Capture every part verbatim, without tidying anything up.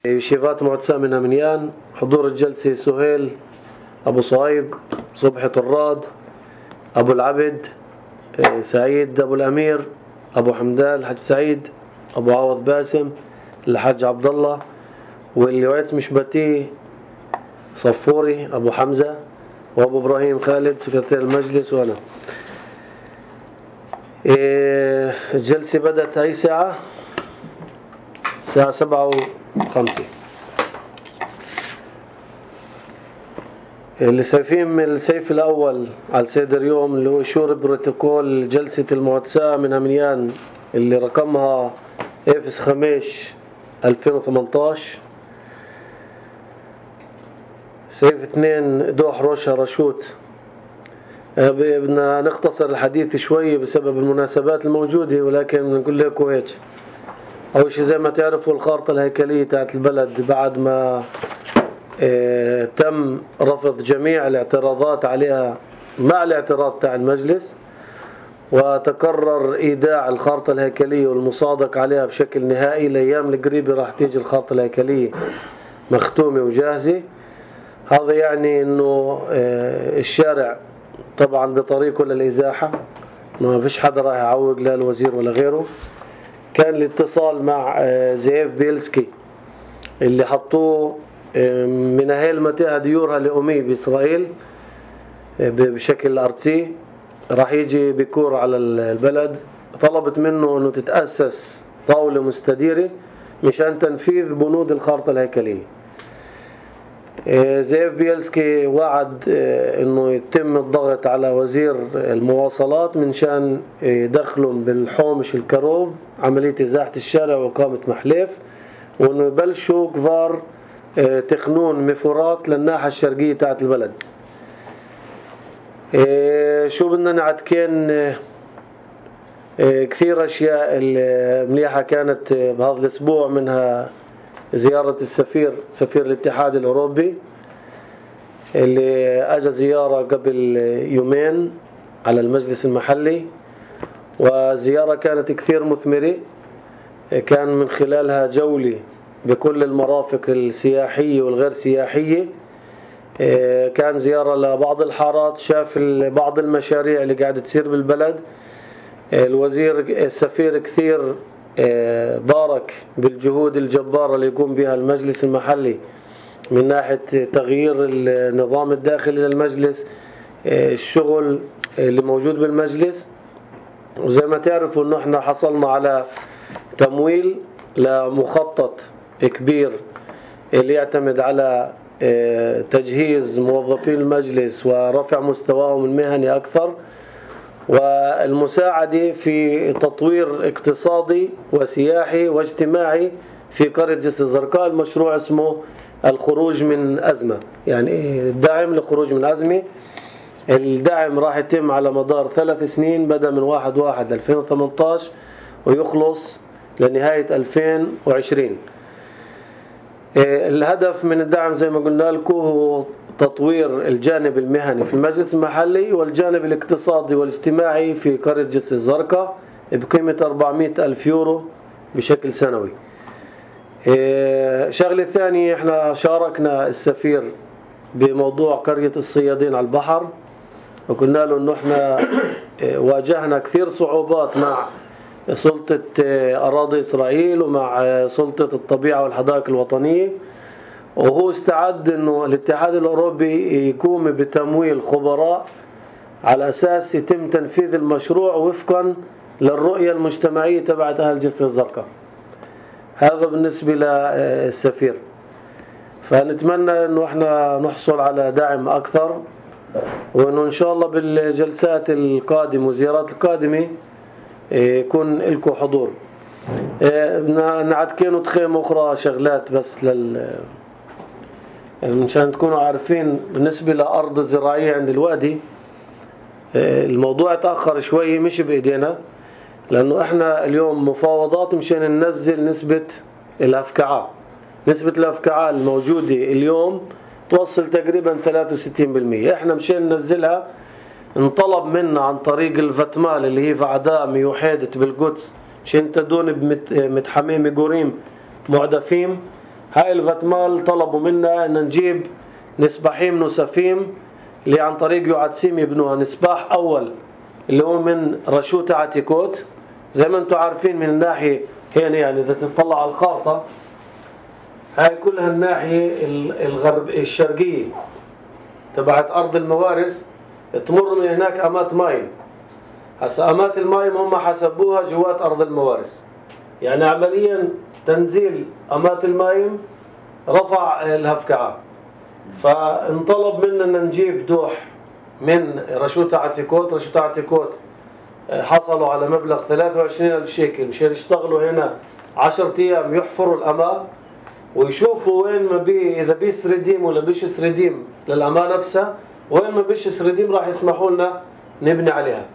يشيفات معتسى من أمنيان. حضور الجلسة سهيل أبو صهيب، صبحي طراد، أبو العبد، سعيد أبو الأمير، أبو حمدان الحاج سعيد، أبو عوض باسم، الحاج عبد الله، واللي وعيت مشبتيه صفوري أبو حمزة، وأبو إبراهيم خالد سكرتير المجلس، وأنا. الجلسة بدأت أي ساعة؟ الساعة سبعة وخمسة. اللي شايفين من السيف الأول على السيدر يوم اللي هو شور بروتوكول جلسة المعتسى من أمنيان اللي رقمها إفس خمسة ألفين وثمانتاشر. سيف اثنين دوح روشا رشوت. بدنا نختصر الحديث شوي بسبب المناسبات الموجودة، ولكن نقول لكم هيك. أول شيء زي ما تعرفوا الخارطة الهيكلية تاعت البلد بعد ما اه تم رفض جميع الاعتراضات عليها مع الاعتراض تاع المجلس، وتكرر إيداع الخارطة الهيكلية والمصادق عليها بشكل نهائي. الأيام القريبة راح تيجي الخارطة الهيكلية مختومة وجاهزة. هذا يعني إنه اه الشارع طبعا بطريقه للإزاحة، ما فيش حدا راح يعوق لا الوزير ولا غيره. كان الاتصال مع زيف بيلسكي اللي حطوه من أهل متاهة ديورها لأمي بإسرائيل بشكل أرتسي، راح يجي بكور على البلد. طلبت منه أنه تتأسس طاولة مستديرة مشان تنفيذ بنود الخارطة الهيكلية. زيف بيلسكي وعد انه يتم الضغط على وزير المواصلات من شان يدخلهم بالحومش الكروب عملية ازاحة الشارع وإقامة محلف، وانه يبلشوا كفار تخنون مفورات للناحية الشرقية تاعت البلد. شو بدنا نعتكين كثير اشياء مليحة كانت بهذا الاسبوع، منها زيارة السفير سفير الاتحاد الأوروبي اللي أجى زيارة قبل يومين على المجلس المحلي، وزيارة كانت كثير مثمرة. كان من خلالها جولة بكل المرافق السياحية والغير سياحية. كان زيارة لبعض الحارات، شاف بعض المشاريع اللي قاعدة تصير بالبلد. الوزير السفير كثير بارك بالجهود الجبارة اللي يقوم بها المجلس المحلي من ناحية تغيير النظام الداخلي للمجلس، الشغل اللي موجود بالمجلس. وزي ما تعرفوا انه احنا حصلنا على تمويل لمخطط كبير اللي يعتمد على تجهيز موظفين المجلس ورفع مستواهم المهني أكثر، والمساعدة في تطوير اقتصادي وسياحي واجتماعي في قرية جسر الزرقاء. المشروع اسمه الخروج من أزمة، يعني الدعم للخروج من أزمة. الدعم راح يتم على مدار ثلاث سنين، بدأ من واحد واحد ألفين وثمانتاشر ويخلص لنهاية ألفين وعشرين. الهدف من الدعم زي ما قلنا لكم هو تطوير الجانب المهني في المجلس المحلي والجانب الاقتصادي والاجتماعي في قرية جسر الزرقاء بقيمة أربعمائة ألف يورو بشكل سنوي. شغلة ثانية، احنا شاركنا السفير بموضوع قرية الصيادين على البحر، وقلنا له انه احنا واجهنا كثير صعوبات مع سلطة أراضي إسرائيل ومع سلطة الطبيعة والحدائق الوطنية، وهو استعد انه الاتحاد الأوروبي يقوم بتمويل خبراء على أساس يتم تنفيذ المشروع وفقا للرؤية المجتمعية تبعت أهل جسر الزرقاء. هذا بالنسبة للسفير. فنتمنى انه احنا نحصل على دعم أكثر، وانه ان شاء الله بالجلسات القادمة وزيارات القادمة يكون لكم حضور. نعتكين تخيم أخرى شغلات بس لل مشان تكونوا عارفين. بالنسبة لأرض الزراعية عند الوادي الموضوع تأخر شوي، مش بإيدينا، لأنه إحنا اليوم مفاوضات مشان ننزل نسبة الأفكعاء. نسبة الأفكعاء الموجودة اليوم توصل تقريبا ثلاثة وستين بالمئة. إحنا مشان ننزلها انطلب منا عن طريق الفتمال اللي هي فعداء ميوحيدة بالقدس مشان تدون بمتحميم قريم معدفين هاي الفتمال طلبوا منا ان نجيب نسباحين نسفيم اللي عن طريق يعدسيم يبنوها. نسباح اول اللي هو من رشوت عتيكوت زي ما انتم عارفين من الناحية هنا، يعني اذا تطلع على الخارطة هاي كلها الناحية الغرب الشرقية تبعت ارض الموارس، تمر من هناك امات مايم. هسا امات المايم هم حسبوها جوات ارض الموارس، يعني عمليا تنزيل امات المايم رفع الهفكعة. فانطلب مننا ان نجيب دوح من رشوت عتيكوت. رشوت عتيكوت حصلوا على مبلغ ثلاثة وعشرين ألف شيكل مشان يشتغلوا هنا عشرة ايام يحفروا الأماء ويشوفوا وين ما بي اذا بي سريديم ولا بيش سريديم للأماء نفسها، وين ما بيش سريديم راح يسمحوا لنا نبني عليها.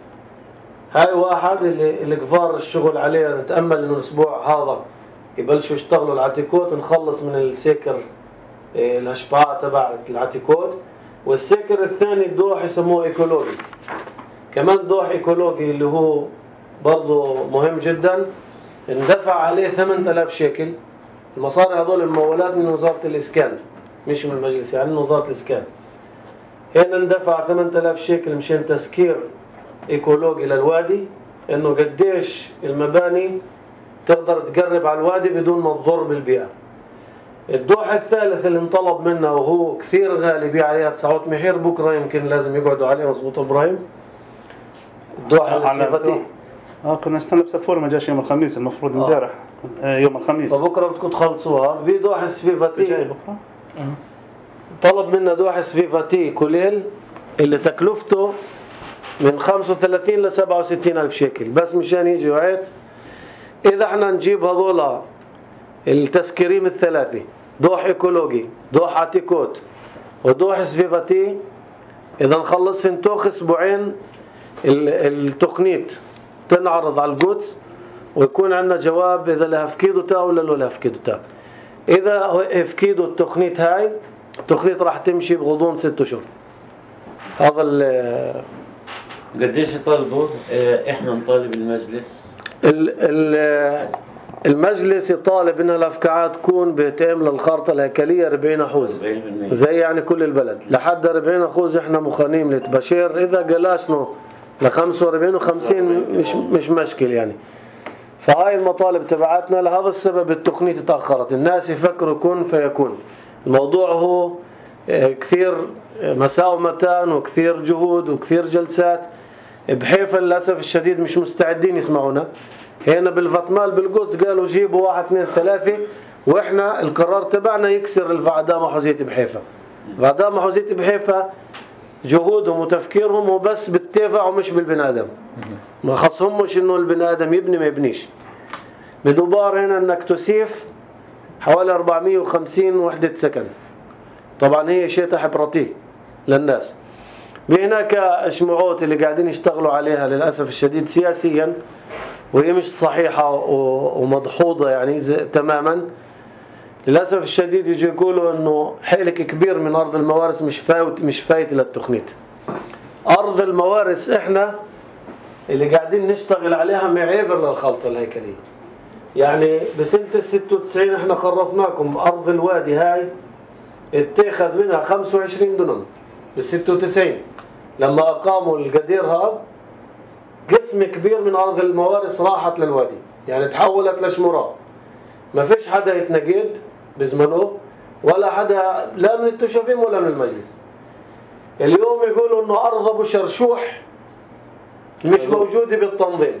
هاي واحد اللي اللي كفار الشغل عليها. نتأمل انه الاسبوع هذا يبلشوا يشتغلوا العتيكوت، نخلص من السيكر الاشباع تبع العتيكوت. والسيكر الثاني الدوح يسموه ايكولوجي، كمان دوح ايكولوجي اللي هو برضه مهم جدا. اندفع عليه ثمانية آلاف شيكل. المصاري هذول الممولات من وزارة الإسكان مش من المجلس، يعني من وزارة الإسكان. هنا اندفع ثمانية آلاف شيكل مشان تسكير ايكولوجي للوادي، انه قديش المباني تقدر تقرب على الوادي بدون ما تضر بالبيئة. الدوح الثالث اللي انطلب منه وهو كثير غالي بيع عليها تسعة محير، بكره يمكن لازم يقعدوا عليه. مظبوط ابراهيم؟ الدوح السيفتي اه كنا نستنى بسفور ما جاش يوم الخميس، المفروض امبارح آه. يوم الخميس، فبكره بدكم تخلصوها. في دوح السفيفتي جاي بكره. طلب منا دوح السفيفتي كليل اللي تكلفته من خمسة وثلاثين ل سبعة وستين ألف شيكل بس مشان يجي وعيت. إذا احنا نجيب هذولا التسكيريم الثلاثة، دوح ايكولوجي، دوح عتيكوت، ودوح سفيفتي، إذا نخلص في نتوخ أسبوعين التقنيت تنعرض على القدس ويكون عندنا جواب إذا لها فكيدو تا ولا لو لها فكيدو تا. إذا فكيدو التقنيت هاي التقنيت راح تمشي بغضون ست أشهر. هذا ال قديش يطالبوا؟ احنا نطالب المجلس المجلس يطالب ان الافكعات تكون بتقام للخارطه الهيكليه أربعين حوز زي يعني كل البلد لحد أربعين حوز. احنا مخانيم لتبشير، اذا قلاشنا ل خمسة وأربعين وخمسين مش مش مشكل يعني. فهاي المطالب تبعتنا. لهذا السبب التقنية تأخرت. الناس يفكروا كن فيكون. الموضوع هو كثير مساومتان وكثير جهود وكثير جلسات. بحيفا للأسف الشديد مش مستعدين يسمعونا. هنا بالفتمال بالقدس قالوا جيبوا واحد اثنين ثلاثة، واحنا القرار تبعنا يكسر الفعدامة حوزية بحيفا. فعدامة حوزية بحيفا جهودهم وتفكيرهم هو بس بالتفاع ومش بالبني آدم. ما خصهمش انه البني آدم يبني ما يبنيش. بدوبار هنا انك تسيف حوالي أربعمية وخمسين وحدة سكن، طبعا هي شيء تحبرتي للناس. بهناك اشمعوت اللي قاعدين يشتغلوا عليها للأسف الشديد سياسيا، وهي مش صحيحة ومضحوضة يعني تماما. للأسف الشديد يجي يقولوا انه حيلك كبير من أرض الموارس مش فايت مش فايت للتقنيت. أرض الموارس احنا اللي قاعدين نشتغل عليها معيبر للخلطة الهيكلية. يعني بسنة الستة وتسعين احنا خرفناكم أرض الوادي هاي اتخذ منها خمسة وعشرين دنم بالستة وتسعين لما أقاموا القدير هذا. قسم كبير من أرض الموارس راحت للوادي، يعني تحولت لشمراء. ما فيش حدا يتنقد بزمنه ولا حدا لا من التشافيم ولا من المجلس. اليوم يقولوا انه أرض أبو شرشوح مش موجودة بالتنظيم.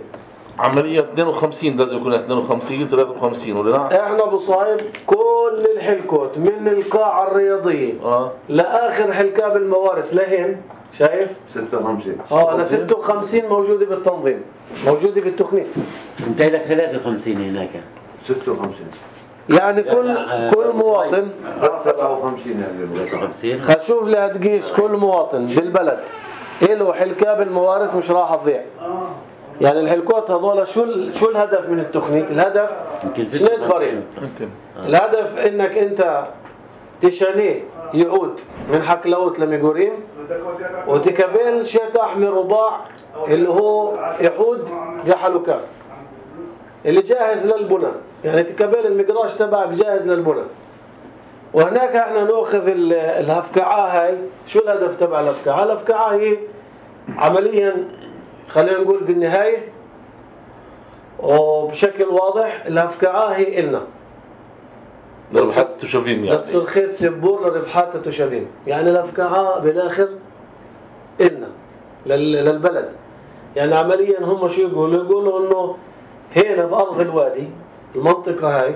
عملية اثنين وخمسين لازم يكون اثنين وخمسين ثلاثة وخمسين ولا لا؟ احنا ابو صايب كل الحلكوت من القاعة الرياضية اه لآخر حلكاب الموارس لهن شايف؟ ستة وخمسين اه ل ستة وخمسين موجودة بالتنظيم، موجودة بالتقنية. انت لك ثلاثة وخمسين هناك ستة وخمسين يعني كل كل مواطن سبعة وخمسين يعني ثلاثة وخمسين. خشوف لها تقيس كل مواطن بالبلد له حلكاب الموارس مش راح تضيع. يعني الحلكوت هذول شو شو الهدف من التقنية؟ الهدف شنو بريم؟ الهدف انك انت تشانيه يعود من حكلوت لميغوريم وتكبل شتح من رباع اللي هو يحود بحلوكان اللي جاهز للبناء. يعني تكبل المقراش تبعك جاهز للبناء. وهناك احنا ناخذ الهفكعة هاي. شو الهدف تبع الهفكعة؟ الهفكعة هي عمليا خلينا نقول بالنهاية وبشكل واضح الهفكعة هي إلنا لربحات التشافين يعني لتصير خيط سبور لربحات التشافين. يعني الهفكعة بالآخر إلنا للبلد. يعني عمليا هم شو يقولوا؟ يقولوا إنه هنا بأرض الوادي المنطقة هاي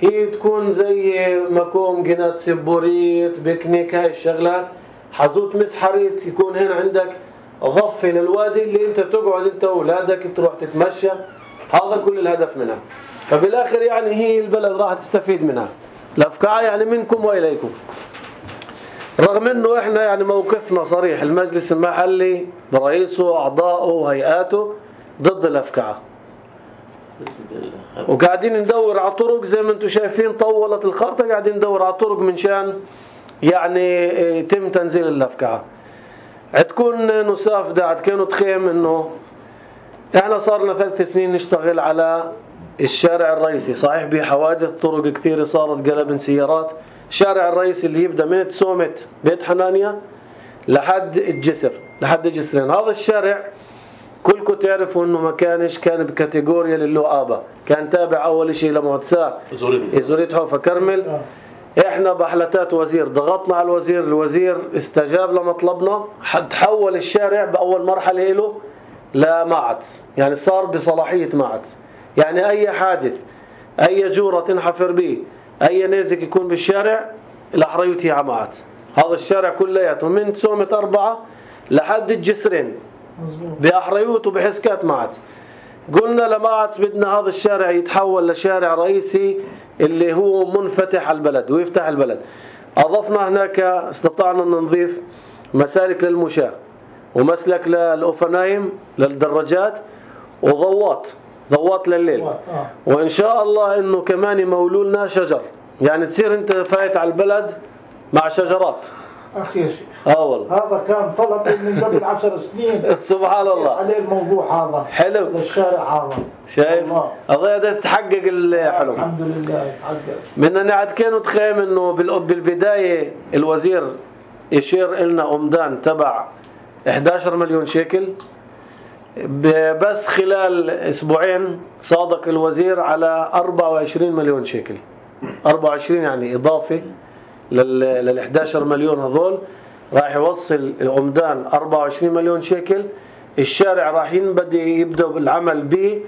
هي تكون زي مكوم جنات سبوريت بيكنيك هاي الشغلات حزوت مسحريت يكون هنا عندك ضفة للوادي اللي انت تقعد انت واولادك تروح تتمشى. هذا كل الهدف منها. فبالاخر يعني هي البلد راح تستفيد منها. الافكار يعني منكم واليكم. رغم انه احنا يعني موقفنا صريح المجلس المحلي برئيسه واعضائه وهيئاته ضد الافكار. وقاعدين ندور على طرق زي ما انتم شايفين طولت الخارطة قاعدين ندور على طرق من شان يعني يتم تنزيل الافكار. عندكم نساف دا عندكم تخيم انه احنا صار لنا ثلاث سنين نشتغل على الشارع الرئيسي. صحيح بحوادث طرق كثيرة صارت قلب سيارات. الشارع الرئيسي اللي يبدأ من تسومة بيت حنانيا لحد الجسر لحد الجسرين. هذا الشارع كلكم تعرفوا انه ما كانش كان بكاتيجوريا للوآبة. كان تابع اول شيء لمهندسة إزوريت حوفة كرمل. احنا بحلتات وزير ضغطنا على الوزير. الوزير استجاب لمطلبنا. تحول الشارع باول مرحلة له لمعتس. يعني صار بصلاحية معتس. يعني اي حادث اي جورة تنحفر به اي نازك يكون بالشارع الاحريوتي على معتس. هذا الشارع كلياته من تسومة اربعة لحد الجسرين بأحريوت وبحسكات معتس. قلنا لمعتس بدنا هذا الشارع يتحول لشارع رئيسي اللي هو منفتح على البلد ويفتح البلد. أضفنا هناك استطعنا أن نضيف مسالك للمشاة ومسلك للأوفنايم للدراجات وضوات ضوات لليل. وإن شاء الله إنه كمان يمولولنا شجر. يعني تصير أنت فايت على البلد مع شجرات. أخي يا شيخ اه والله هذا كان طلب من قبل عشر سنين. سبحان الله عليه الموضوع هذا حلو للشارع هذا. شايف هذا تحقق الحلم الحمد لله تحقق. من نعد كانوا تخيم انه بالبداية الوزير يشير لنا أمدان تبع إحدى عشر مليون شيكل. بس خلال اسبوعين صادق الوزير على أربعة وعشرين مليون شيكل. أربعة وعشرين يعني إضافة لل إحدى عشر مليون هذول راح يوصل العمدان أربعة وعشرين مليون شيكل. الشارع راح ينبدأ يبدأ بالعمل به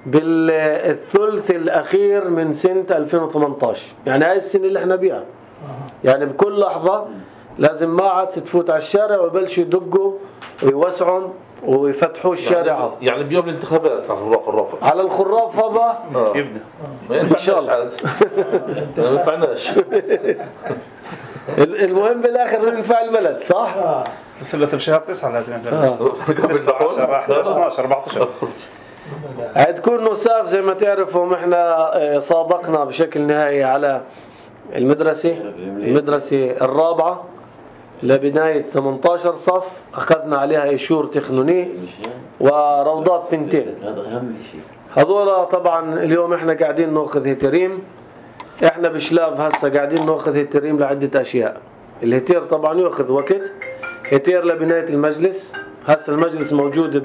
بالثلث الأخير من سنة ألفين وثمانية عشر. يعني هاي السنة اللي احنا بيها. يعني بكل لحظة لازم ما عاد تفوت على الشارع ويبلشوا يدقوا ويوسعوا ويفتحوا الشارع. يعني, يعني بيوم الانتخابات على الخرافة على الخرافة بقى آه. يبدأ إن شاء الله ما ينفعناش. المهم بالاخر ننفع البلد صح؟ آه. في في شهر تسعة لازم قبل عشرة احد عشر اثناشر أربعة عشر. عندكم نساف زي ما تعرفوا احنا صادقنا بشكل نهائي على المدرسة المدرسة الرابعة لبناية ثمانية عشر صف. أخذنا عليها إيشور تخنوني وروضات ثنتين. هذا أهم شيء. هذولا طبعا اليوم احنا قاعدين ناخذ هيتريم. احنا بشلاف هسه قاعدين ناخذ هيتريم لعدة أشياء. الهيتير طبعا يأخذ وقت. هيتير لبناية المجلس. هسه المجلس موجود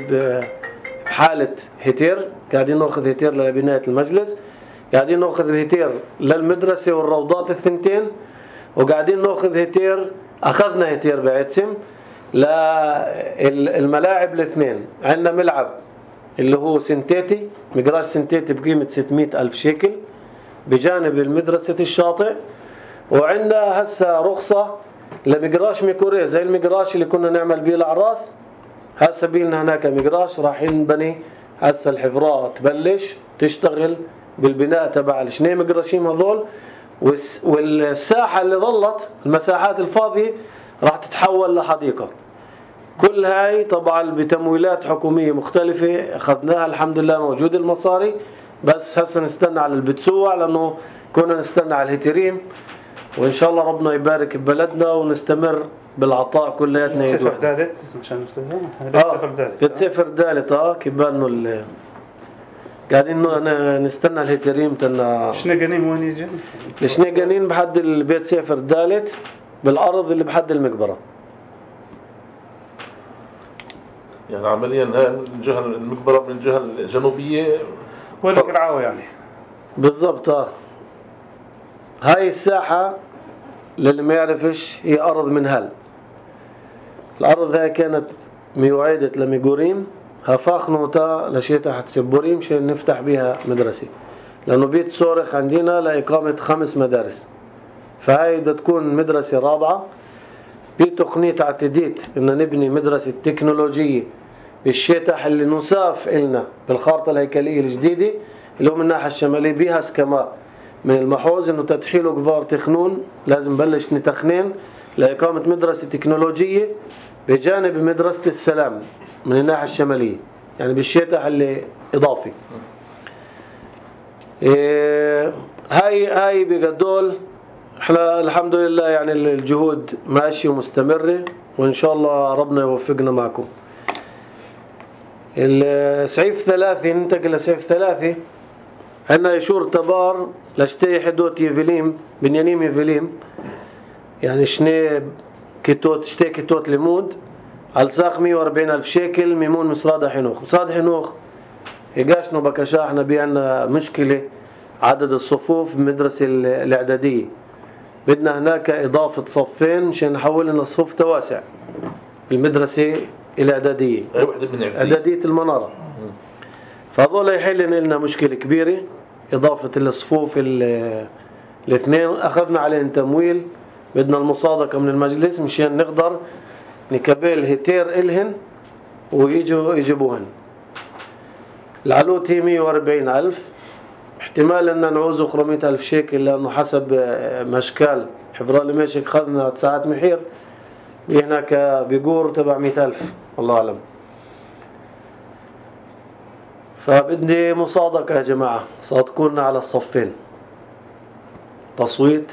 بحالة هيتير. قاعدين ناخذ هيتير لبناية المجلس. قاعدين ناخذ هيتير للمدرسة والروضات الثنتين. وقاعدين ناخذ هيتير أخذنا هيتير بعتسم للملاعب الاثنين. عندنا ملعب اللي هو سنتيتي مقراش سنتيتي بقيمة ستمائة ألف شيكل بجانب المدرسة الشاطئ. وعندنا هسه رخصة لمقراش ميكوري زي المقراش اللي كنا نعمل بيه الأعراس. هسه بيلنا هناك مقراش راح ينبني. هسه الحفراء تبلش تشتغل بالبناء تبع الشني مقراشيم هذول. والساحة اللي ظلت المساحات الفاضية راح تتحول لحديقة. كل هاي طبعا بتمويلات حكومية مختلفة أخذناها الحمد لله موجود المصاري. بس هسه نستنى على البتسوع لأنه كنا نستنى على الهيتريم. وإن شاء الله ربنا يبارك ببلدنا ونستمر بالعطاء كلياتنا يد سفر واحدة. ثالث عشان نختارها. اه بتسافر ثالث اه كبانه ال قاعدين ن- نستنى الهيتريم تنا. شنقنين وين يجي؟ الشنيقانين بحد البيت سيفر الثالث بالأرض اللي بحد المقبرة. يعني عمليا هاي الجهة المقبرة من الجهة الجنوبية وين قرعاوة يعني؟ بالضبط. اه هاي الساحة للي ما يعرفش هي أرض منهل. الأرض هاي كانت ميوعدة لميقوريم هفاخنوتا لشيتا حتسبوريم شان نفتح بيها مدرسة، لأنه بيت صورخ عندنا لإقامة خمس مدارس. فهاي بدها تكون مدرسة رابعة. بتقنية اعتديت إن نبني مدرسة تكنولوجية بالشتح اللي نصاف إلنا بالخارطة الهيكلية الجديدة اللي هو من الناحية الشمالية بيها سكما من المحوز إنه تدخيله كبار تخنون لازم بلش نتخنين لإقامة مدرسة تكنولوجية بجانب مدرسة السلام من الناحية الشمالية، يعني بالشتح اللي إضافي. إيه هاي هاي بقدول احنا الحمد لله يعني الجهود ماشية ومستمرة وإن شاء الله ربنا يوفقنا معكم. السعيف ثلاثة ننتقل لسعيف ثلاثة. عندنا يشور تبار لشتي حدوت يفليم بنيانيم يفليم يعني شني كتوت شتي كتوت ليمود على ساق مية وأربعين ألف شيكل ميمون مصراد حنوخ. مصراد حنوخ يقاشنو بكشا احنا بيعنا مشكلة عدد الصفوف بمدرسة الإعدادية، بدنا هناك إضافة صفين عشان نحول لنا صفوف تواسع بالمدرسة الإعدادية أي وحدة من إعدادية إعدادية المنارة. فهذول يحل لنا مشكلة كبيرة إضافة الصفوف الاثنين. أخذنا عليهم تمويل، بدنا المصادقة من المجلس مشان نقدر نكبل هتير إلهن ويجوا يجيبوهن. العلوت هي مية وأربعين ألف، احتمال أن نعوزه خمسمية ألف شيكل لأنه حسب مشكال حفرالي ماشي خذنا ساعات محير هناك بيقور تبع مئة ألف الله أعلم. فبدي مصادقة يا جماعة، صادقونا على الصفين. تصويت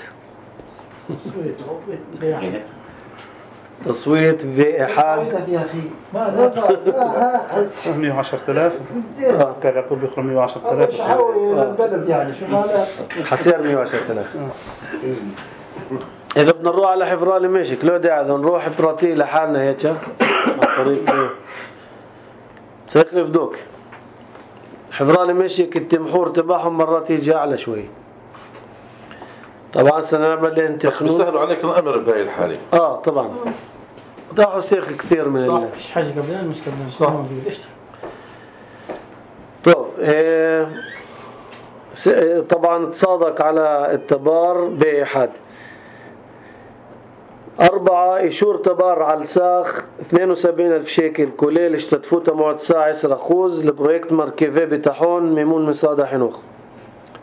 تصويت بإحاد يا أخي ما لا مية وعشرة آلاف كان يقول بيخرج مية وعشرة مش آلاف. حاول البلد يعني شو مالك. حسير مية وعشرة آلاف. إذا بدنا نروح على حفرالي ماشي كلو داعي نروح براتي لحالنا هيك عن طريق سيخلف دوك. حفرالي ماشي التمحور تبعهم مرات يجي أعلى شوي. طبعا سنعمل لين تخنون بيسهلوا عليك الأمر بهاي الحالة. آه طبعا داعوا سيخ كثير من صح. ال... فيش حاجة قبلنا مش قبلنا صح. قشطة. طب إيه س... طبعا تصادق على التبار بإحاد. أربعة إيشور تبار على الساخ اثنين وسبعين ألف شيكل كليل اشتتفوتا موعد ساعة عشرة خوز لبرويكت مركبة بتاحون ميمون مصادة حنوخ.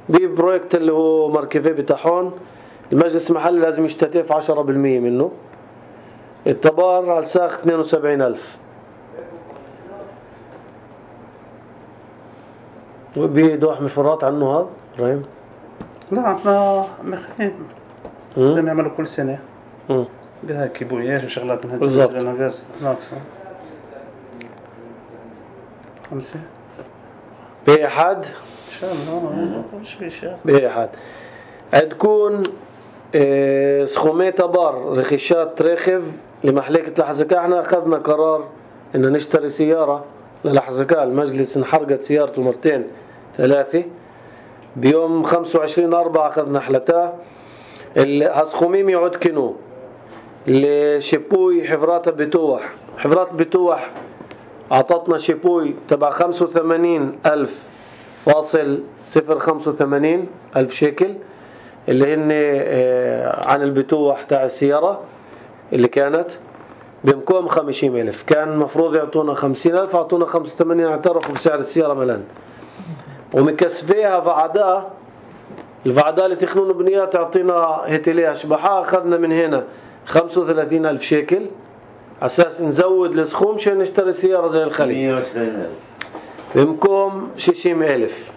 دي برويكت اللي هو مركبة بتاحون المجلس المحلي لازم يشتتف عشرة بالمية منه. التبار على الساخ اثنين وسبعين ألف. وبيدوح مفرات عنه هذا رأيم لا احنا مخين زي ما يعملوا كل سنة مم. بها كيبوياش وشغلات من بالضبط. هالجزء لنا غاز ناقصة. خمسة بإحاد إن شاء الله مش في شيء. بإحاد عندكون اه سخومي تبار رخيشات رخف لمحلكة لحزكاء. احنا أخذنا قرار إن نشتري سيارة للحزكاء. المجلس انحرقت سيارته مرتين ثلاثة. بيوم خمسة وعشرين أربعة أخذنا حلتاه. الهسخوميم يعود كنو لشيبوي حفرات بتوح. حفرات بتوح أعطتنا شيبوي تبع خمسة وثمانين ألف فاصل صفر خمسة وثمانين ألف شيكل اللي هن عن البتوح تاع السيارة اللي كانت بمكوم خمسين ألف. كان مفروض يعطونا خمسين ألف أعطونا خمسة وثمانين. اعترفوا بسعر السيارة ملان ومكسبيها فعدا الفعدا اللي تخنون بنيات تعطينا هتليها شبحة. أخذنا من هنا خمسة وثلاثين ألف شيكل أساس نزود السخوم عشان نشتري سيارة زي الخليج. مية وعشرين ألف بمكم شيشيم ألف.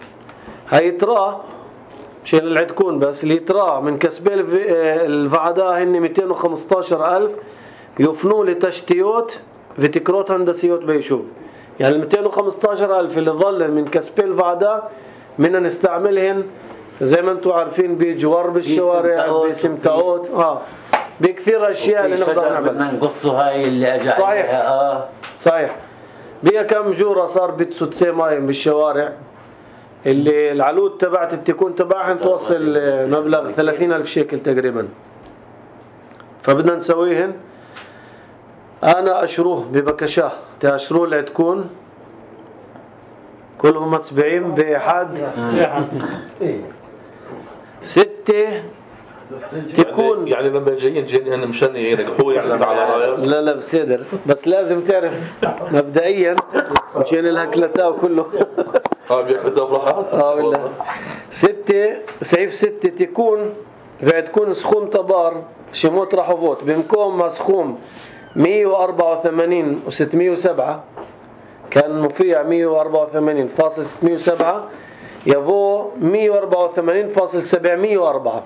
هاي ترى عشان اللي تكون بس اللي ترى من كسبي الفعدا هن مئتين وخمسة عشر ألف يفنوا لتشتيوت فيتكروت هندسيوت بيشوف. يعني ال مئتين وخمسطعش ألف اللي ظل من كسبي الفعداء بدنا نستعملهن زي ما انتم عارفين بجوار بالشوارع بسمتعوت اه بكثير اشياء اللي نقدر نعملها. بدنا نقصه هاي اللي اجى صحيح عليها. اه صحيح. بيها كم جوره صار بتسوتسي مايم بالشوارع اللي العلود تبعت التكون تبعها توصل مبلغ ثلاثين ألف شيكل تقريبا. فبدنا نسويهن. انا اشروه ببكشاه تاشروه لتكون كلهم متبعين بأحد ستة تكون يعني لما جايين جايين هن مشان ينجحوا يعني على رايك. لا لا بصدر بس لازم تعرف مبدئيا مشان الهكلتا وكله اه بيحبطوا فرحات اه والله ستة سيف ستة تكون بعد تكون سخوم تبار شموت رحوفوت بمكون مسخوم مية وأربعة وثمانين وستمية وسبعة كان مفيع مية وأربعة وثمانين فاصل ستمية وسبعة يبو مية وأربعة وثمانين فاصل سبعمية وأربعة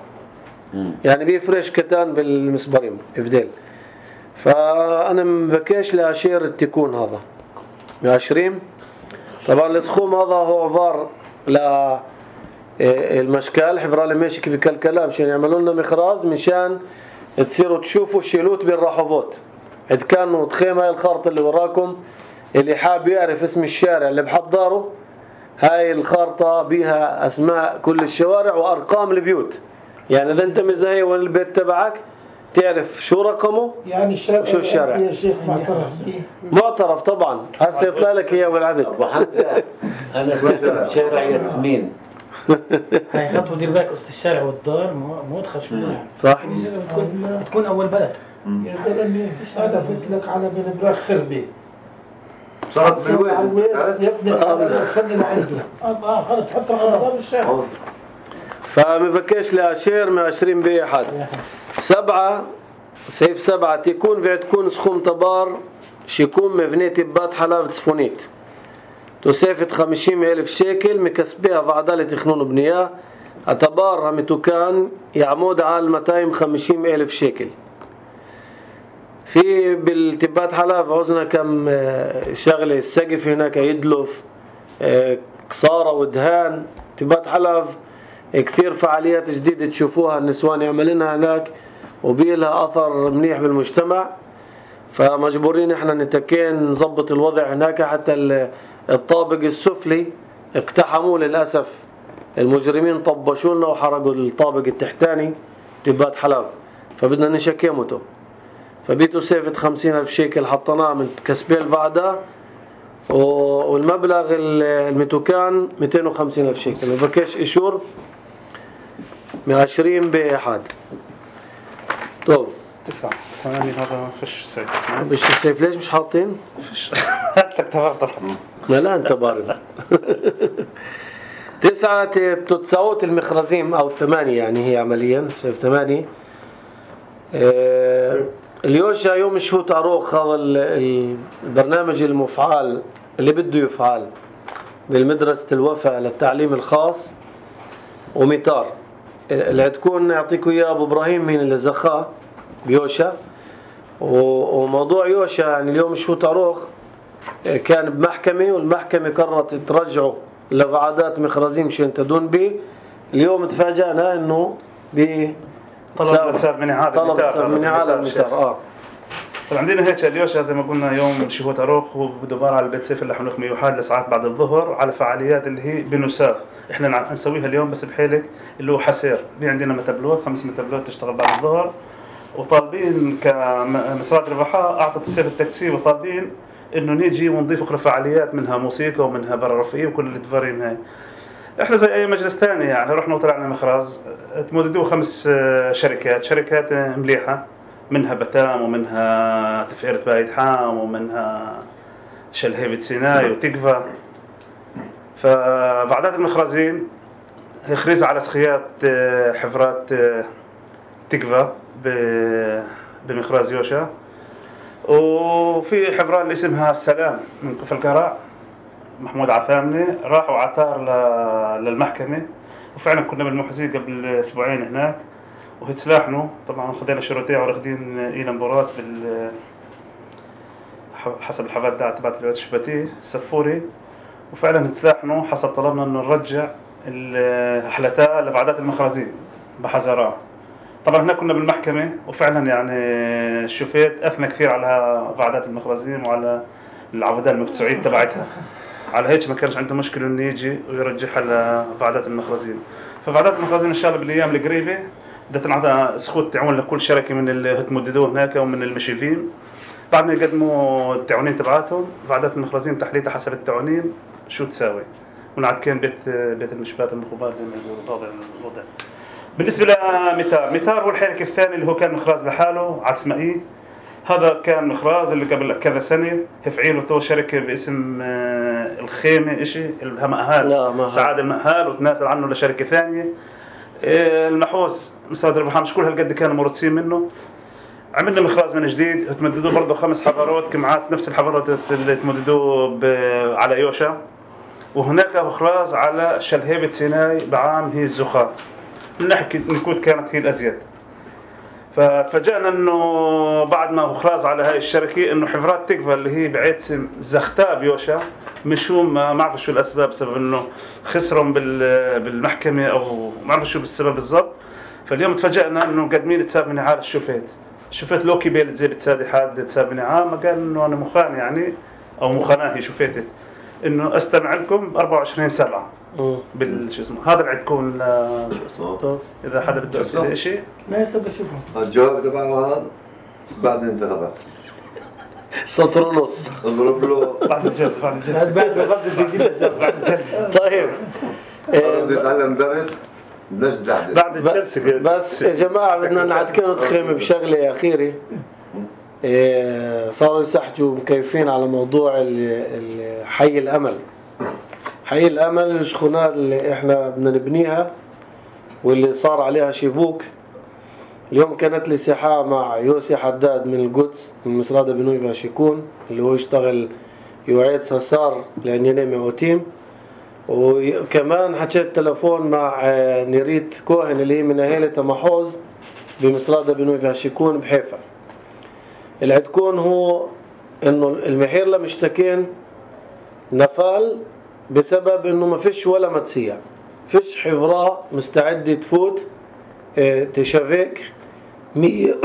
يعني بيفرش كتان بالمسبرين افدال. فأنا مبكيش لأشير التكون هذا عشرين. طبعا السخوم هذا هو عبار للمشكال حفرالي ماشي كيف كالكلام مشان يعملوا لنا مخراز مشان تصيروا تشوفوا شيلوت بالرحوفات. إذ كانوا تخيم هاي الخارطة اللي وراكم اللي حاب يعرف اسم الشارع اللي بحضره هاي الخارطة بيها أسماء كل الشوارع وأرقام البيوت. يعني إذا أنت مزهي وين البيت تبعك تعرف شو رقمه يعني الشارع شو الشارع يا شيخ معترف به معترف طبعا هسه يطلع لك إياه والعبد. وحتى أنا سافرت شارع ياسمين. هاي خطوة دير بالك قصة الشارع والدار مو تخشوا يعني صح بتكون بتكون أول بلد. يا زلمه انا قلت لك على بن براخ خربي صارت بالويز يبني على السنه لعندي اه خلص تحط رقم بالشارع. فمفكش لأشير من عشرين بأحد. سبعة سيف سبعة تكون بعد تكون سخوم تبار شيكون مبنية تبات حلاوة صفونيت تسافت خمسين ألف شيكل مكسبها بعدالة تخنون بنياه اعتبارها متوكان يعمود على مئتين وخمسين ألف شيكل. في بالتبات حلاوة عوزنا كم شغلة السقف هناك يدلف كسارة ودهان تبات حلاوة كثير فعاليات جديدة تشوفوها النسوان يعملونها هناك وبيلها أثر منيح بالمجتمع. فمجبورين احنا نتكين نظبط الوضع هناك حتى الطابق السفلي اقتحموه للأسف المجرمين طبشوا لنا وحرقوا الطابق التحتاني تبات حلاوة فبدنا نشكيمته. فبيتو سيفة خمسين ألف شيكل حطناه من كسبي الفعداء والمبلغ المتوكان مئتين وخمسين ألف شيكل وبكيش إشور من عشرين بأحد. طب تسعة ثمانية هذا فش سيف مش السيف ليش مش حاطين؟ فش هات لك تفاضل. لا لا أنت بارد. تسعة تتساوت المخرزيم أو ثمانية يعني هي عمليا سيف ثمانية. اه اليوشا يوم الشهوت عروخ هذا البرنامج المفعال اللي بده يفعل بالمدرسة الوفاء للتعليم الخاص وميتار اللي تكون يعطيكم اياه ابو ابراهيم من اللي زخاه بيوشا. وموضوع يوشا يعني اليوم الشهوت عروخ كان بمحكمة والمحكمة قررت ترجعه لفعادات مخرزين مشان تدون به. اليوم تفاجأنا انه ب طلب تساب من إعادة طلب تساب من إعادة الميتار. اه طبعا عندنا هيك اليوشا زي ما قلنا يوم شهوت عروخ وبدبار على البيت سيف اللي حنخ ميوحاد لساعات بعد الظهر على فعاليات اللي هي بنساف احنا نسويها اليوم بس بحيلك اللي هو حسير. في عندنا متبلوت خمس متبلوت تشتغل بعد الظهر وطالبين كمسرات ربحاء اعطت السيف التاكسي وطالبين انه نيجي ونضيف اخرى فعاليات منها موسيقى ومنها برا رفيق وكل اللي تفرين هاي. احنا زي اي مجلس ثاني يعني رحنا وطلعنا مخراز تمددوا خمس شركات شركات مليحه منها بتام ومنها تفعيلة بايت حام ومنها شلهيبة سيناي وتكفى. فبعدات المخرزين خريز على سخيات حفرات تكفى بمخراز يوشا. وفي حفران اللي اسمها السلام من كفر الكراع محمود عثامني راحوا عثار للمحكمة وفعلا كنا بالمحزين قبل اسبوعين هناك وهتلاحنوا طبعا خدينا شروطية ورخدين إلى مباراة بال حسب الحفادات تبعت الواد الشباتيه سفوري، وفعلا تلاحنوا حسب طلبنا انه نرجع الحلتاء لبعدات المخازين بحذرها. طبعا هنا كنا بالمحكمة وفعلا يعني الشوفيت أثنى كثير على بعدات المخازين وعلى العبودات المقطوعية تبعتها، على هيك ما كانش عنده مشكلة انه يجي ويرجعها لبعدات المخازين. فبعدات المخازين ان شاء الله بالايام القريبة بدها تنعطى سخوت تعاون لكل شركة من اللي هتمددوه هناك ومن المشرفين، بعد ما يقدموا التعاونين تبعاتهم بعدات المخازين تحليتها حسب التعاونين شو تساوي، ونعد كان بيت بيت المشفات المخبات زي ما يقولوا هذا الوضع. بالنسبة لميتار، ميتار هو الحركة الثاني اللي هو كان مخراز لحاله عتسمائي. هذا كان مخراز اللي قبل كذا سنة هفعيله تو شركة باسم الخيمة إشي المهال سعاد المهال وتنازل عنه لشركة ثانية. المحوس مستودع الربحان مش كل هالقد كانوا مرتسين منه. عملنا مخراز من جديد تمددوه برضه خمس حضارات كمعات نفس الحضارات اللي تمددوه على يوشا، وهناك مخراز على شلهيبة سيناء بعام هي الزخار. نحكي نكود كانت هي الأزيد. فتفاجأنا انه بعد ما مخراز على هاي الشركة انه حفرات تكفى اللي هي بعيد زختاب يوشا مشو ما ما عرف شو الاسباب، بسبب انه خسرهم بالمحكمة او ما عرف شو بالسبب بالضبط. فاليوم تفاجأنا انه قادمين تساب من عال الشوفيت. الشوفيت لوكي بيلت زي بتسادي حاد تساب من عام، ما قال انه انا مخان يعني او مخاناهي شوفيتت انه استمع لكم أربعة وعشرين سبعة بالشو اسمه. هذا اللي عندكم شو اسمه اذا حدا بده يسال شيء لا يسال بشوفه الجواب تبعه هذا بعد الانتخابات سطر ونص اضرب له بعد الجلسه بعد الجلسه بعد ما بدي تجي بعد الجلسه. طيب بدي اتعلم درس نجد بعد الجلسه. بس يا جماعه بدنا نعدكم تخيم بشغله اخيره. صاروا يسحجوا مكيفين على موضوع حي الامل. حي الامل الشخونات اللي احنا بدنا نبنيها واللي صار عليها شيفوك. اليوم كانت لي ساحة مع يوسي حداد من القدس من مصرادة بنوي باشيكون اللي هو يشتغل يعيد سسار لأنينيمي أوتيم، وكمان حكيت تلفون مع نيريت كوهن اللي هي من أهالة محوز بمصرادة بنوي باشيكون بحيفا. اللي عندكون هو انه المحير لمشتكين نفال بسبب انه ما فيش ولا متسيع، فيش حفرة مستعدة تفوت اه تشافيك مية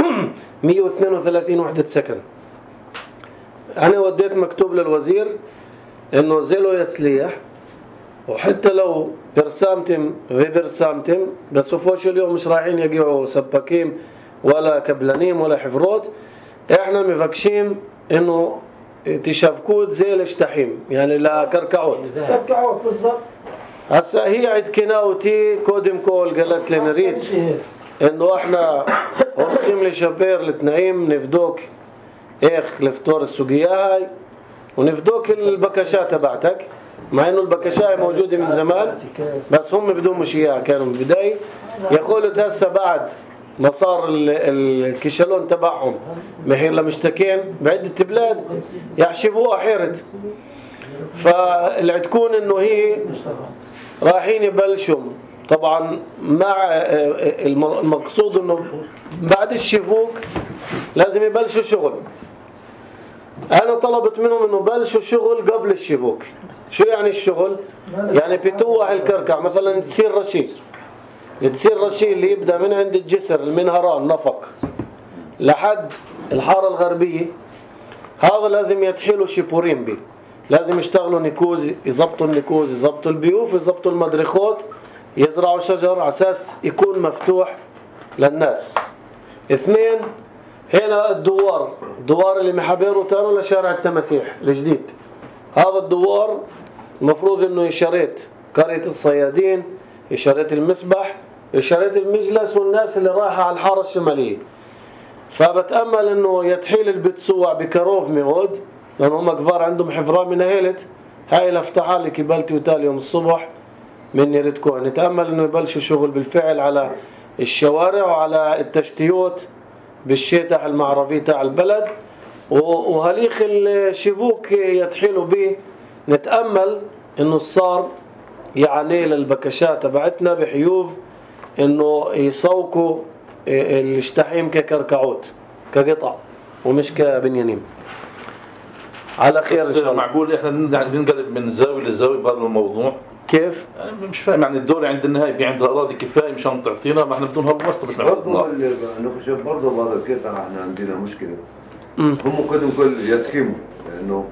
واثنين وثلاثين وحدة سكن. انا وديت مكتوب للوزير انه زيلو يتسليح، وحتى لو برسامتم في برسامتم بس فوش اليوم مش رايحين يقعوا سباكين ولا كبلانيم ولا حفروت. احنا مفكشين انه تشافكوت زي الاشتحيم يعني لا كركعوت كركعوت بالضبط. هسا هي عند كناوتي كودم كول قالت لي نريد انه احنا ورقيم لشبير لتنعيم نفدوك ايخ لفتور السوقية هاي ونفدوك البكشات تبعتك، مع انه البكشات موجودة من زمان بس هم بدون مش اياها كانوا من البداية. يقولوا هسا بعد ما صار الكشلون تبعهم محير لمشتكين بعدة بلاد يحشبوها حيرت. فاللي تكون انه هي رايحين يبلشوا طبعا مع المقصود انه بعد الشفوك لازم يبلشوا شغل. انا طلبت منهم انه بلشوا شغل قبل الشفوك. شو يعني الشغل؟ يعني بتوح الكركع مثلا تصير رشيد تصير رشيد اللي يبدأ من عند الجسر المنهران نفق لحد الحارة الغربية، هذا لازم يتحيلوا شيبورين بي، لازم يشتغلوا نيكوز يزبطوا النيكوز يزبطوا البيوف يزبطوا المدرخوت يزرعوا شجر على اساس يكون مفتوح للناس. اثنين هنا الدوار الدوار اللي محبيره تانو لشارع التماسيح الجديد. هذا الدوار المفروض انه يشاريت قرية الصيادين يشاريت المسبح يشاريت المجلس والناس اللي رايحة على الحارة الشمالية. فبتأمل انه يتحيل البتسوع بكروف ميغود لأن هم كبار عندهم حفران من أهيلة هاي الافتحة اللي كبالتي وتالي يوم الصبح من نيرتكو. نتأمل انه يبلشوا شغل بالفعل على الشوارع وعلى التشتيوت بالشيطة المعرفية تاع البلد، وهليخ الشبوك يتحيلوا به. نتأمل انه صار يعني للبكشات تبعتنا بحيوف انه يسوقوا الاشتحيم ككركعوت كقطع ومش كبنيانين. على خير ان شاء الله. معقول احنا ننقلب من زاويه لزاويه بهذا الموضوع؟ كيف؟ يعني مش فاهم، يعني الدولة عند النهاية في عندها أراضي كفاية مشان تعطينا، ما احنا بدون هالوسط مش برضه معقول. نخشى برضه بهذا القطع احنا عندنا مشكله. مم. هم كلهم كل يسكموا لانه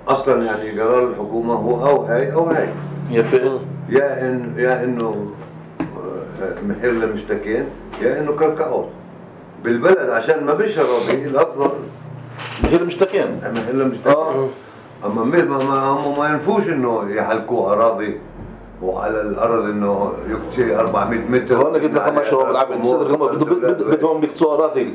اصلا يعني قرار الحكومه هو او هاي او هاي. يا فين؟ يا ان يا انه محل لمشتكين يا انه كركعوت بالبلد عشان ما بيش راضي الافضل هي المشتكين. محل لمشتكين. اه اما ما ما هم ما ينفوش انه يحلقوا اراضي وعلى الارض انه يكتشي أربعمية متر. وانا قلت لك ما شاء الله العبد صدق هم بدهم يقطعوا اراضي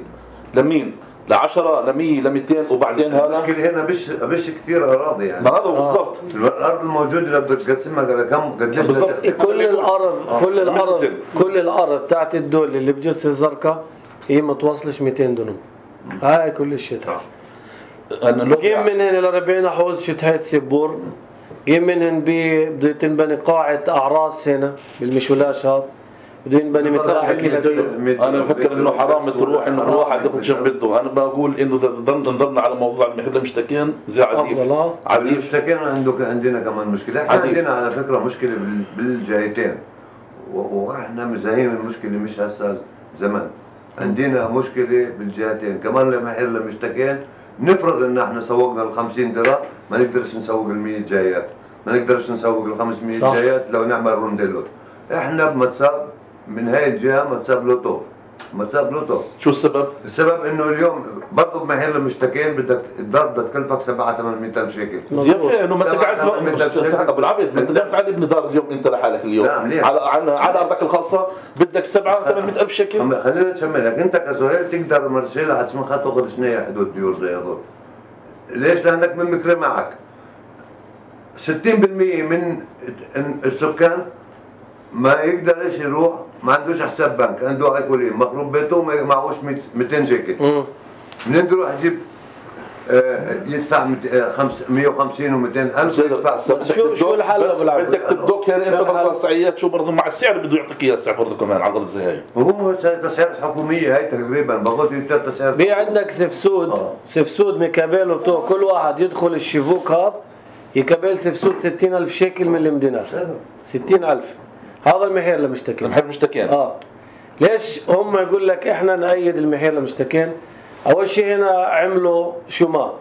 لمين؟ ل عشرة ل مية ل مئتين وبعدين هذا المشكله هنا مش مش كثير اراضي يعني. ما هذا بالضبط. الارض الموجوده اللي بدك تقسمها على كم قديش بالضبط. كل الارض كل الارض كل الارض تاعت الدول اللي بجسر الزرقاء هي ما توصلش مئتين دنم. هاي كل الشيء. جيم من هنا ل أربعين حوز شتهاية سبور، جيم من هنا بده تنبني قاعة أعراس هنا بالمشولاش هذا، بده ينبني متراحة كده. انا بفكر انه حرام تروح انه الواحد ياخذ شو بده. انا بقول انه اذا نظرنا على موضوع المحل المشتكين زي عديف عديف المشتكين عندك عندنا كمان مشكله. احنا عندنا على فكره مشكله بالجهتين واحنا مزاهين المشكله مش هسه زمان. عندنا مشكله بالجهتين كمان المحل المشتكين. نفرض ان احنا سوقنا ال خمسين درهم ما نقدرش نسوق ال مية جايات، ما نقدرش نسوق ال خمسمية جايات لو نعمل رونديلو. احنا بمتصاب من هاي الجهه متصاب لوتو متصاب لوتو. شو السبب؟ السبب انه اليوم برضه بمحل المشتكين بدك الدار بدها تكلفك سبعة ثمانمية ألف شيكل. زين انه ما تقعد ابو العبد ما تقدر تعال ابن دار اليوم انت لحالك اليوم على على على ارضك الخاصه بدك سبعة ثمانمية ألف شيكل. خلينا نشملك انت كسهيل تقدر مرسيل على اسمها تاخذ شنية حدود ديور زي هذول. ليش؟ لانك من مكري معك ستين بالمية من السكان ما يقدرش يروح، ما عندوش حساب بنك، عنده ايكولين مخروب بيته وما معهوش مئتين شيكل. منين يروح يجيب آه يدفع مئة وخمسين ومئتين ألف يدفع. بس شو شو الحل ابو العبد؟ بدك تبدوك يعني انت بالوصعيات شو برضه مع السعر بده يعطيك اياه السعر برضه كمان على غرض زي هاي. وهو تسعيرات حكوميه هاي تقريبا بقول لك تسعيرات. في عندك سفسود آه. سفسود ميكابيل وتو كل واحد يدخل الشبوك هذا يكابيل سفسود ستين ألف شيكل من المدينار. ستين ألف هذا المحير لمشتكين. المحير لمشتكين. اه ليش هم يقول لك احنا نأيد المحير لمشتكين؟ اول شيء هنا عملوا شمال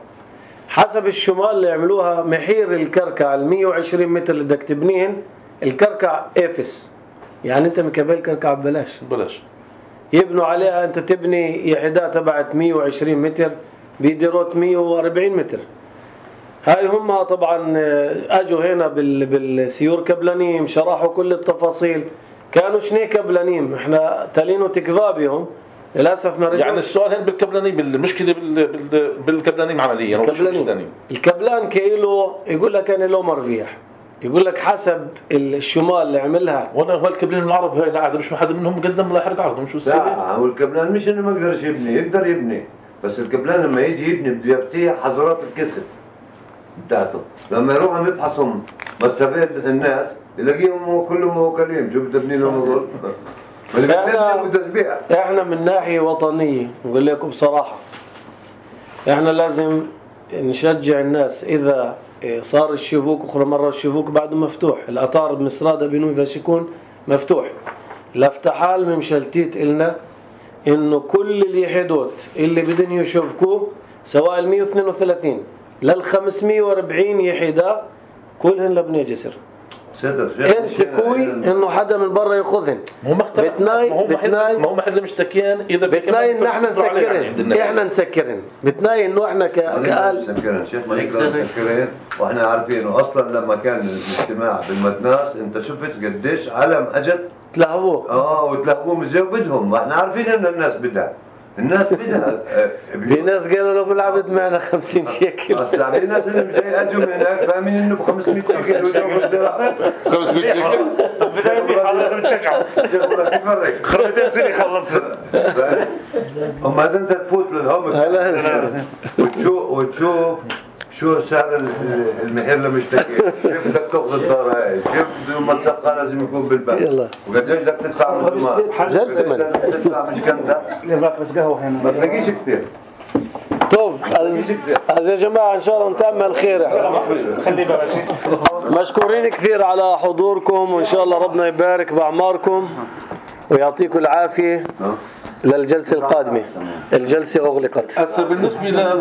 حسب الشمال اللي عملوها محير الكركع ال مية وعشرين متر اللي بدك تبنيهن الكركع افس، يعني انت مكبل كركع ببلاش ببلاش يبنوا عليها. انت تبني يحدى تبعت مية وعشرين متر بيديروت مية وأربعين متر. هاي هم طبعا اجوا هنا بالسيور كبلانيم شرحوا كل التفاصيل. كانوا شني كبلانيم احنا تالينو تكذابهم للاسف ما رجعوا. يعني السؤال هنا بالكبلانيم المشكله بالكبلانيم عمليا الكبلانيم. الكبلان كيلو يقول لك انا له مربيح، يقول لك حسب الشمال اللي عملها. وانا هو الكبلان العرب هاي لا مش حدا منهم قدم لا يحرق عرضهم. شو السبب؟ لا هو الكبلان مش انه ما يقدرش يبني، يقدر يبني بس الكبلان لما يجي يبني بده يفتح حظرات الكسر بتاعته. لما يروح عم يفحصهم متسابات الناس يلاقيهم كلهم موكلين. شو بده يبني لهم هذول؟ احنا احنا من ناحيه وطنيه نقول لكم بصراحه احنا لازم نشجع الناس. اذا صار الشبوك اخرى مره الشبوك بعده مفتوح، الاطار بمسراده بنوي باش يكون مفتوح. لافتحال ممشلتيت إلنا انه كل اليحدوت اللي بدهم يشوفكوه سواء ال مية واثنين وثلاثين لل خمسمية وأربعين يحدا كلهن لبنى جسر. انسكوي انه حدا من برا ياخذهن. مو مختلف. بتناي ما هو محل ما هو محل مشتكين اذا بتناي ان احنا نسكرن احنا نسكرن بتناي انه احنا كاهل نسكرن. شيخ ما نقدر نسكرن واحنا عارفين انه اصلا لما كان الاجتماع بالمدناس انت شفت قديش علم اجت تلهبوه اه وتلهبوه مش بدهم. ما احنا عارفين ان الناس بدها الناس بدها في ناس قالوا له بالعبد معنا خمسين شيكل. هسه في ناس اللي مش اجوا من هناك فاهمين انه ب خمسمية شيكل خمسمية شيكل بدنا لازم تشجعوا تفرق خمسمية سنه يخلص. اما انت تفوت للهم وتشوف وتشوف شو سعر المحير لمشتكي، كيف بدك تاخذ الدار هاي، كيف لما تسقى لازم يكون بالبنك، وقديش بدك تدفع رسومات، جلسة تدفع مشكنتها بس قهوه هنا ما تلاقيش كثير. طب از يا جماعة إن شاء الله نتأمل خير. خلي بالك. مشكورين كثير على حضوركم، وإن شاء الله ربنا يبارك بأعماركم ويعطيكم العافية للجلسة القادمة. الجلسة أغلقت. هسه بالنسبة